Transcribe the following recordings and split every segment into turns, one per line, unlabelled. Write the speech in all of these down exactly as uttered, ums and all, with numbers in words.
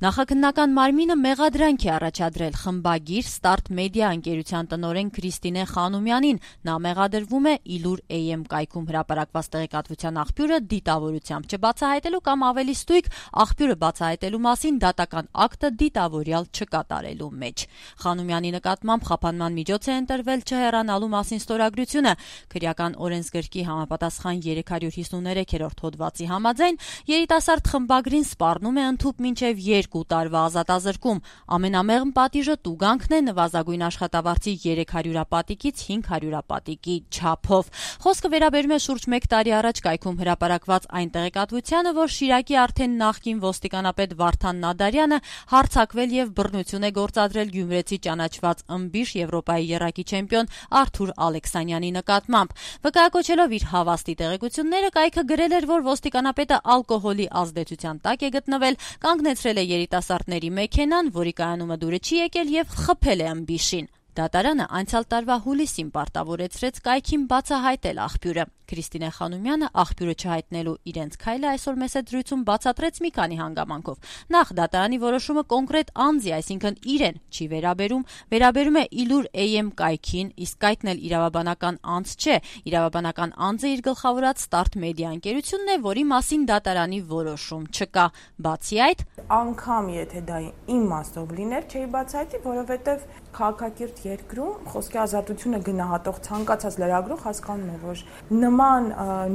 Նախաքննական մարմինը մեղադրանք է առաջադրել խմբագիր Start Media ընկերության տնօրեն Քրիստինե Խանոմյանին։ Նա մեղադրվում է Իլուր Էյ Էմ կայքում հրապարակված տեղեկատվության աղբյուրը դիտավորությամբ չբացահայտելու կամ ավելի ստույգ աղբյուրը բացահայտելու մասին դատական ակտը դիտավորյալ չկատարելու մեջ։ Խանոմյանի նկատմամբ խափանման միջոց է ընտրվել չհեռանալու մասին ստորագրությունը։ Քրեական օրենսգրքի համապատասխան երեք հարյուր հիսուններեք հոդվածի համաձայն երիտասարդ խմբագրին սպառնում է ընդհուպ մինչև երկու տարվա ազատազրկում։ Ամենամեղմ պատիժը տուգանքն է նվազագույն աշխատավարձի երեք հարյուրապատիկից հինգ հարյուրապատիկի չափով։ Խոսքը վերաբերում է շուրջ մեկ տարի առաջ կայքում հրապարակված այն տեղեկատվությանը, որ Շիրակի արդեն նախկին ոստիկանապետ Վարդան Նադարյանը հարձակվել եւ բռնություն է գործադրել գյումրեցի ճանաչված ըմբիշ Եվրոպայի եռակի չեմպիոն Արթուր Ալեքսանյանի նկատմամբ։ Վկայակոչելով իր հավաստի տեղեկությունները, կայքը գրել էր, որ ոստիկանապետը ալկոհոլի ազդեցության տակ է գտնվել, կանգնեցրել է երիտասարդների մեքենան, որի կայանումը դուրը չի եկել եւ խփել է ըմբիշին։ Դատարանը անցյալ տարվա հուլիսին պարտավորեցրեց կայքին բացահայտել աղբյուրը։ Քրիստինե Խանոմյանը աղբյուրը չհայտնելու իրենց քայլը այսօր մեծ դրույթում բացատրեց մի քանի հանգամանքով։ Նախ դատարանի որոշումը կոնկրետ անձի, այսինքն իրեն չի վերաբերում, վերաբերում է Իլուր Էյ Էմ կայքին, իսկ կայքն էլ իրավաբանական անձ չէ։ Իրավաբանական անձը իր գլխավորած Start Media ընկերությունն է, որի մասին դատարանի որոշում չկա։ Բացի այդ,
անգամ եթե դա իմ մասով լիներ, չէի բացահայտի, որովհետև քաղաքակիրթ երկրում խոսքի ազատությունը գնահատող ցանկացած լրագրող հասկանում է, որ նման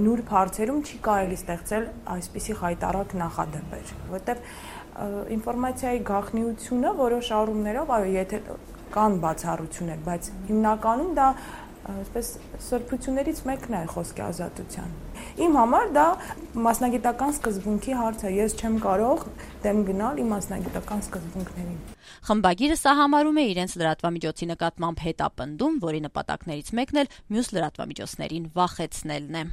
նուրբ հարցերում չի կարելի ստեղծել այսպիսի խայտառակ նախադեպեր, որովհետև ինֆորմացիայի գաղտնիությունը որոշ առումներով, այո, եթե կան բացառություններ, բայց հիմնականում դա այսպես սրբություններից մեկն է խոսքի ազատության։ Իմ համար դա մասնագիտական սկզբունքի հարց է, ես չեմ կարող դեմ գնալ իմ մասնագիտական սկզբունքներին։
Խմբագիրը սահամարում է իրենց լրատվամիջոցի նկատմամբ հետապնդում, որի նպատակներից մեկն էլ մյուս լրատվամիջոցներին վախեցնելն է։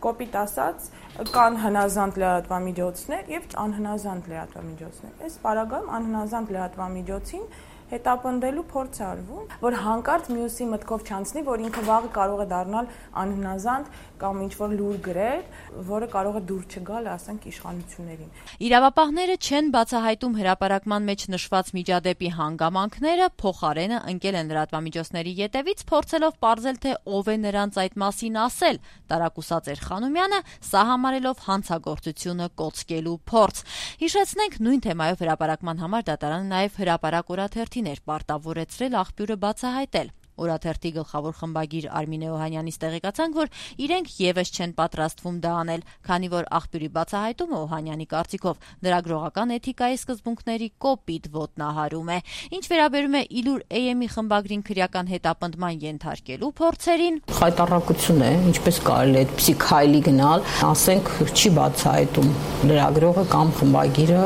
Կոպիտ ասած, կան հնազանդ լրատվամիջոցներ եւ անհնազանդ լրատվամիջոցներ։ Այս պարագայում անհնազանդ լրատվամիջոցին հետապնդելու փորձ արվում, որ հանկարծ մյուսի մտքով չանցնի, որ ինքը վաղը կարող է դառնալ անհնազանդ կամ ինչ-որ լուր գրել, որը կարող է դուր չգալ, ասենք, իշխանություններին։
Իրավապահները չեն բացահայտում հրապարակման մեջ նշված միջադեպի հանգամանքները, փոխարենը ընկել են լրատվամիջոցների ետևից, փորձելով պարզել, թե ով է նրանց այդ մասին ասել։ Տարակուսած էր Խանոմյանը, սահամարելով հանցագործությունը կոծկելու փորձ։ Հիշեցնենք, նույն թեմայով հրապարակման համար դատարանը նաև հրապարակ օրաթերթին էր պարտավորեցրել աղբյուրը բացահայտել։ Օրաթերթի գլխավոր խմբագիր Արմինե Օհանյանից տեղեկացանք, որ իրենք եւս չեն պատրաստվում դա անել, քանի որ աղբյուրի բացահայտումը Օհանյանի կարծիքով լրագրողական էթիկայի սկզբունքների կոպիտ ոտնահարում է։ Ինչ վերաբերում է Իլուր Էյ Էմի խմբագրին քրեական հետապնդման ենթարկելու փորձերին,
խայտառակություն է, ինչպես կարելի է այդպիսի քայլի գնալ, ասենք չի բացահայտում լրագրողը կամ խմբագիրը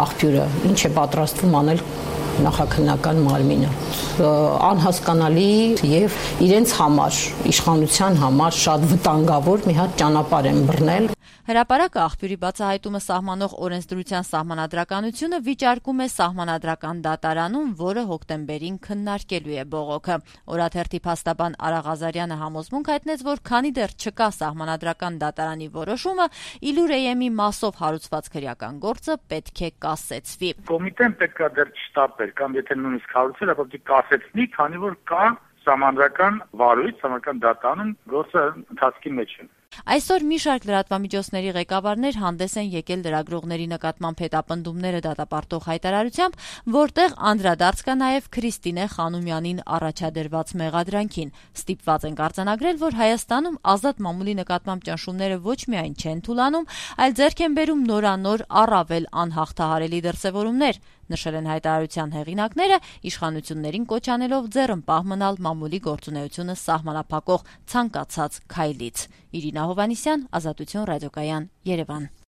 աղբյուրը, ինչ է պատրաստվում անել նախաքննական մարմինը, անհասկանալի եւ իրենց համար, իշխանության համար շատ վտանգավոր մի հատ ճանապարհ են բռնել։
Հրապարակը աղբյուրի բացահայտումը սահմանող օրենսդրության սահմանադրականությունը վիճարկում է սահմանադրական դատարանում, որը հոկտեմբերին քննարկելու է բողոքը։ Օրաթերթի փաստաբան Արա Ղազարյանը համոզմունք հայտնեց, որ քանի դեռ չկա սահմանադրական դատարանի որոշումը, Իլուր Էյ Էմի մասով հարուցված քրեական գործը պետք է կասեցվի։
Կոմիտեն պետք է դեռ չստապեր, կամ եթե նույնիսկ հարուցել, ապա պետք է կասեցնի, քանի որ կա սահմանադրական վարույթ, սահմանադրական դատարան, գործը ընթացքի մեջ է։
Այսօր մի շարք լրատվամիջոցների ղեկավարներ հանդես են եկել լրագրողների նկատմամբ հետապնդումները դատապարտող հայտարարությամբ, որտեղ անդրադարձ կա նաև Քրիստինե Խանոմյանին առաջադրված մեղադրանքին։ Ստիպված ենք արձանագրել, որ Հայաստանում ազատ մամուլի նկատմամբ ճնշումները ոչ միայն չեն թուլանում, այլ ձեռք են բերում նորանոր առավել անհաղթահարելի դրսևորումներ, նշել են հայտարարության հեղինակները, իշխանություններին կոչ անելով ձեռնպահ մնալ մամուլի գործունեությունը սահմանափակող ցանկացած քայլից։ Իրինա Հովհաննիսյան, Ազատություն ռադիոկայան, Երևան։